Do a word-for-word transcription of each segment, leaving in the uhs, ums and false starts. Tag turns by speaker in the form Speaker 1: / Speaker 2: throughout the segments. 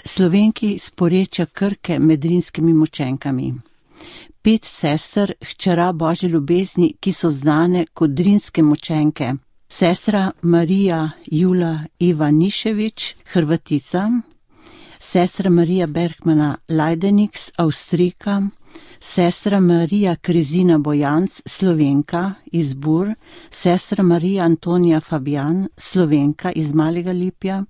Speaker 1: Slovenki s porečja Krke med Drinskimi mučenkami. Pet sester, hčera Božje ljubezni, ki so znane kot Drinske mučenke. Sestra Marija Jula Ivanišević, Hrvatica, sestra Marija Bergmana Lajdenix, Avstrijka, sestra Marija Krezina Bojanc, Slovenka iz Bur, sestra Marija Antonija Fabijan, Slovenka iz Malega Lipja,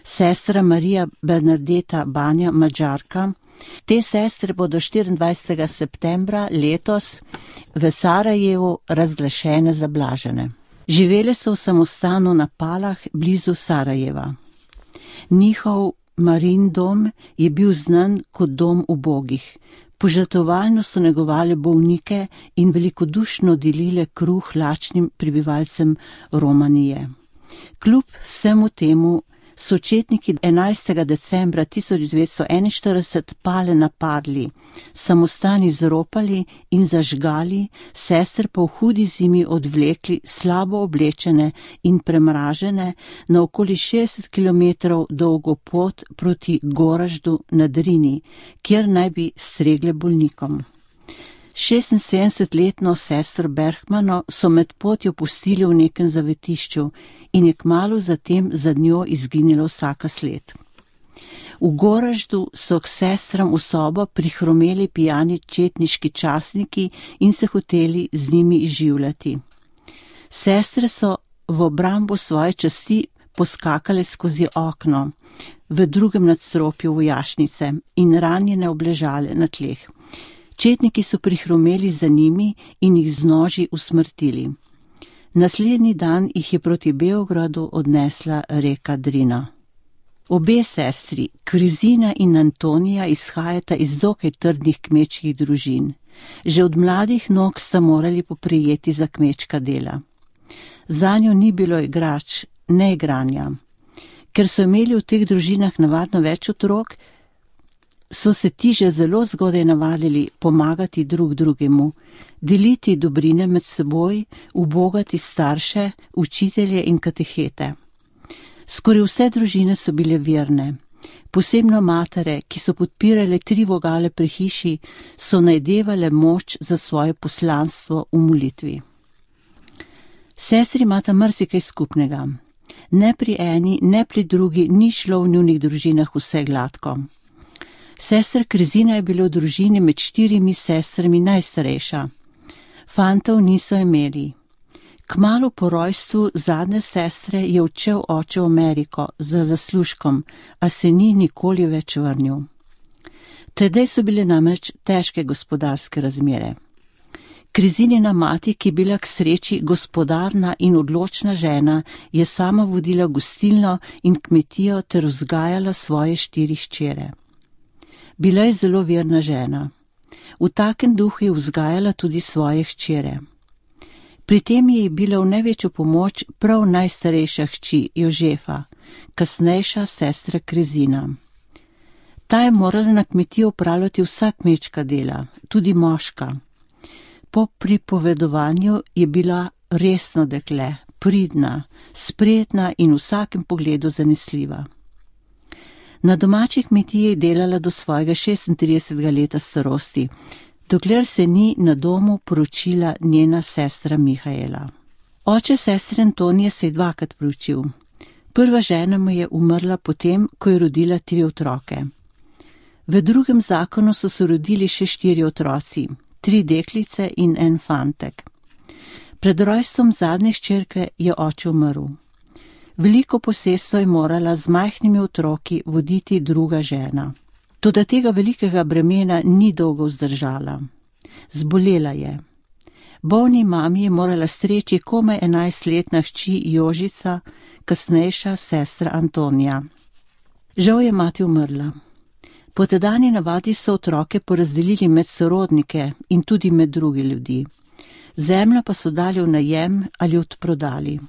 Speaker 1: sestra Marija Bernadeta Banja, Mađarka. Te sestre bodo štiriindvajsetega septembra letos v Sarajevu razglašene za blažene. Živele so v samostanu na Palah blizu Sarajeva. Njihov Marin dom je bil znan kot dom ubogih. Požrtvovalno so negovali bolnike in velikodušno delile kruh lačnim prebivalcem Romanije. Kljub vsemu temu so četniki enajstega decembra tisoč devetsto enainštirideset Pale napadli, samostan izropali in zažgali, sester pa v hudi zimi odvlekli slabo oblečene in premražene na okoli šestdeset kilometrov dolgo pot proti Goraždu na Drini, kjer naj bi stregle bolnikom. šestinsedemdesetletno sestro Bergmano so med potjo pustili v nekem zavetišču in je kmalu zatem za njo izginila vsaka sled. V Goraždu so k sestram v sobo prihromeli pijani četniški častniki in se hoteli z njimi izživljati. Sestre so v obrambo svoje časti poskakale skozi okno v drugem nadstropju vojašnice in ranjene obležale na tleh. Četniki so prihromeli za njimi in jih z noži usmrtili. Naslednji dan jih je proti Beogradu odnesla reka Drina. Obe sestri, Krezina in Antonija, izhajata iz dokaj trdnih kmečkih družin. Že od mladih nog sta morali poprijeti za kmečka dela. Zanjo ni bilo igrač, ne igranja. Ker so imeli v teh družinah navadno več otrok, so se ti že zelo zgodaj navadili pomagati drug drugemu, deliti dobrine med seboj, ubogati starše, učitelje in katehete. Skoraj vse družine so bile verne. Posebno matere, ki so podpirale tri vogale pri hiši, so najdevale moč za svoje poslanstvo v molitvi. Sestri imata marsikaj skupnega. Ne pri eni, ne pri drugi ni šlo v njunih družinah vse gladko. Sestra Krezina je bila v družini med štirimi sestrami najstarejša. Fantov niso imeli. Kmalu po rojstvu zadnje sestre je odšel oče v Ameriko za zaslužkom, a se ni nikoli več vrnil. Tedaj so bile namreč težke gospodarske razmere. Krezinina mati, ki je bila k sreči gospodarna in odločna žena, je sama vodila gostilno in kmetijo ter vzgajala svoje štiri hčere. Bila je zelo verna žena. V takem duhu je vzgajala tudi svoje hčere. Pri tem je bila v največjo pomoč prav najstarejša hči Jožefa, kasnejša sestra Krezina. Ta je morala na kmetiji opravljati vsa kmečka dela, tudi moška. Po pripovedovanju je bila resno dekle, pridna, spretna in v vsakem pogledu zanesljiva. Na domači kmetiji je delala do svojega šestintridesetega leta starosti, dokler se ni na domu poročila njena sestra Mihaela. Oče sestre Antonije se je dvakrat poročil. Prva žena mu je umrla potem, ko je rodila tri otroke. V drugem zakonu so se rodili še štiri otroci, tri deklice in en fantek. Pred rojstvom zadnje hčerke je oče umrl. Veliko posestvo je morala z majhnimi otroki voditi druga žena. Toda tega velikega bremena ni dolgo vzdržala. Zbolela je. Bolni mami je morala streči komaj enajstletna hči Jožica, kasnejša sestra Antonija. Žal je mati umrla. Po tedanji navadi so otroke porazdelili med sorodnike in tudi med druge ljudi. Zemljo pa so dali v najem ali odprodali.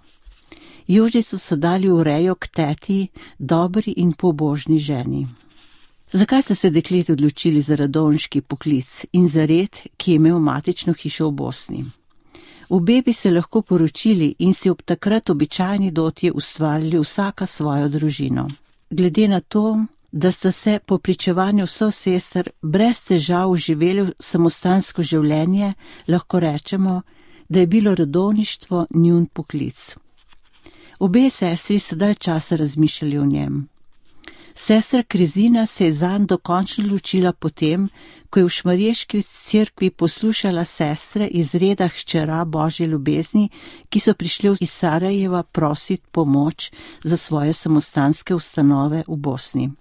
Speaker 1: Jožico so dali v rejo k teti, dobri in pobožni ženi. Zakaj so se dekleti odločili za radovniški poklic in za red, ki je imel matično hišo v Bosni? Obe bi se lahko poročili in si ob takrat običajni dotje ustvarili vsaka svojo družino. Glede na to, da sta se po pričevanju sosester brez težav živeli samostansko življenje, lahko rečemo, da je bilo redovništvo njun poklic. Obe sestri so dalj časa razmišljali o njem. Sestra Krezina se je zanj dokončno odločila potem, ko je v Šmarješki cerkvi poslušala sestre iz reda hčera Božje ljubezni, ki so prišli iz Sarajeva prositi pomoč za svoje samostanske ustanove v Bosni.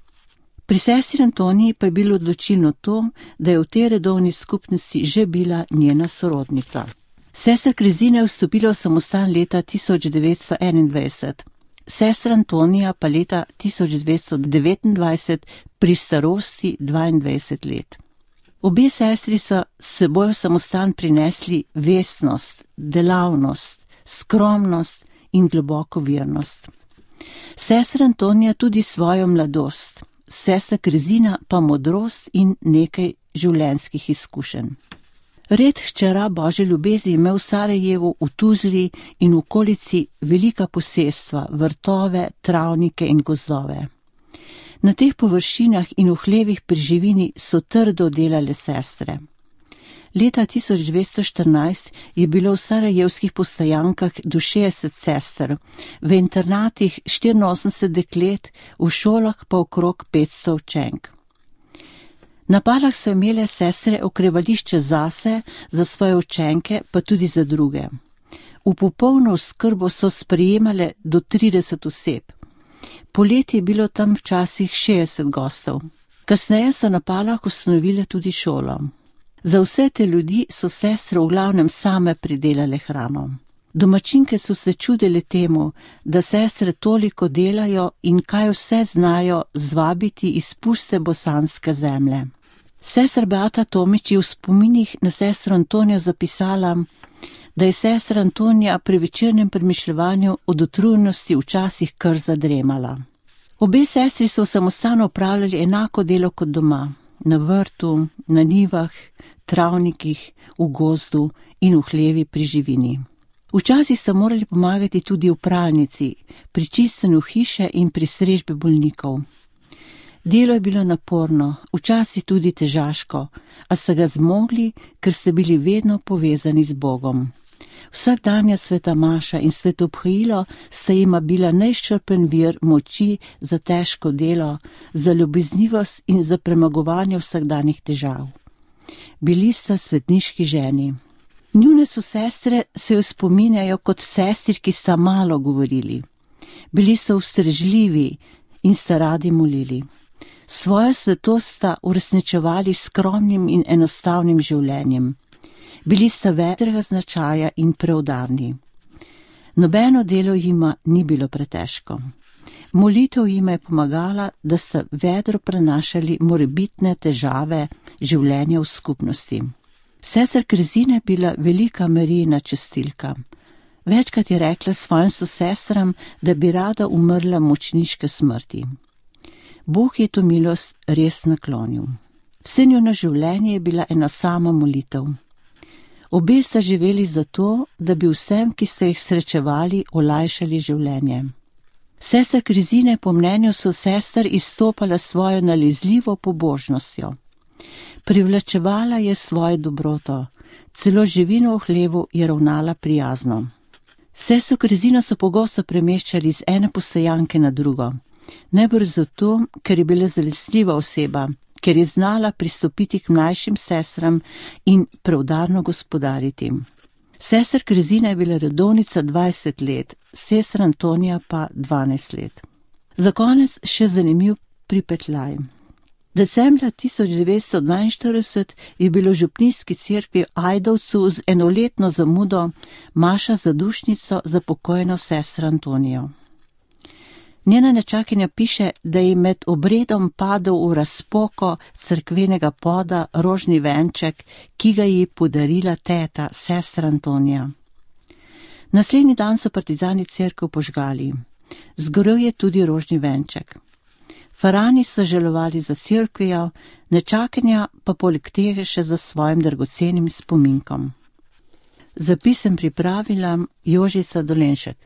Speaker 1: Pri sestri Antoniji pa je bilo odločilno to, da je v tej redovni skupnosti že bila njena sorodnica. Sestra Krezina je vstopila v samostan leta tisoč devetsto enaindvajset, sestra Antonija pa leta tisoč devetsto devetindvajset pri starosti dvaindvajset let. Obe sestri so s seboj v samostan prinesli vestnost, delavnost, skromnost in globoko vernost. Sestra Antonija tudi svojo mladost, sestra Krezina pa modrost in nekaj življenjskih izkušenj. Red hčera Božje ljubezni je imel v Sarajevu, v Tuzli in v okolici velika posestva, vrtove, travnike in gozdove. Na teh površinah in v hlevih pri živini so trdo delale sestre. Leta tisoč devetsto štirinajst je bilo v sarajevskih postojankah do šestdeset sester, v internatih štiriinosemdeset deklet, v šolah pa okrog petsto učenk. Na Palah so imele sestre okrevališče zase, za svoje učenke, pa tudi za druge. V popolno oskrbo so sprejemale do trideset oseb. Poleti je bilo tam včasih šestdeset gostov. Kasneje so na Palah ustanovile tudi šolo. Za vse te ljudi so sestre v glavnem same pridelale hrano. Domačinke so se čudile temu, da sestre toliko delajo in kaj vse znajo zvabiti iz puste bosanske zemlje. Sestra Beata Tomič je v spominih na sestro Antonijo zapisala, da je sestra Antonija pri večernem premišljevanju od utrujenosti včasih kar zadremala. Obe sestri so v samostanu opravljali enako delo kot doma, na vrtu, na njivah, travnikih, v gozdu in v hlevi pri živini. Včasih sta morali pomagati tudi v pralnici, pri čistenju hiše in pri strežbi bolnikov. Delo je bilo naporno, včasih tudi težaško, a sta ga zmogli, ker ste bili vedno povezani z Bogom. Vsakdanja sveta maša in svetobhajilo sta jima bila neizčrpen vir moči za težko delo, za ljubeznivost in za premagovanje vsakdanjih težav. Bili sta svetniški ženi. Njune so sestre se jo spominjajo kot sestri, ki sta malo govorili. Bili so ustrežljivi in sta radi molili. Svojo svetost sta uresničevali skromnim in enostavnim življenjem. Bili sta vedrega značaja in preudarni. Nobeno delo jima ni bilo pretežko. Molitev jima je pomagala, da sta vedro prenašali morebitne težave življenja v skupnosti. Sestra Krezina je bila velika Marijina častilka. Večkrat je rekla svojim sosestram, da bi rada umrla mučeniške smrti. Bog je to milost res naklonil. Vse njuno življenje je bila ena sama molitev. Obe sta živeli zato, da bi vsem, ki ste jih srečevali, olajšali življenje. Sestra Krezina je po mnenju sosester izstopala svojo nalezljivo pobožnostjo. Privlačevala je svojo dobroto, celo živino v hlevu je ravnala prijazno. Sestro Krezino so pogosto premeščali iz ene postojanke na drugo. Najbrž zato, ker je bila zanesljiva oseba, ker je znala pristopiti k mlajšim sestram in preudarno gospodariti. Sestra Krezina je bila redovnica dvajset let, sestra Antonija pa dvanajst let. Za konec še zanimiv pripetljaj. Decembra tisoč devetsto dvainštirideset je bilo v župnijski cerkvi v Ajdovcu z enoletno zamudo maša za dušnico za pokojno sestro Antonijo. Njena nečakinja piše, da je med obredom padel v razpoko cerkvenega poda rožni venček, ki ga ji podarila teta, sestra Antonija. Naslednji dan so partizani cerkev požgali. Zgorel je tudi rožni venček. Farani so žalovali za cerkvijo, nečakinja pa poleg tega še za svojim dragocenim spominkom. Zapis sem pripravila Jožica Dolenšek.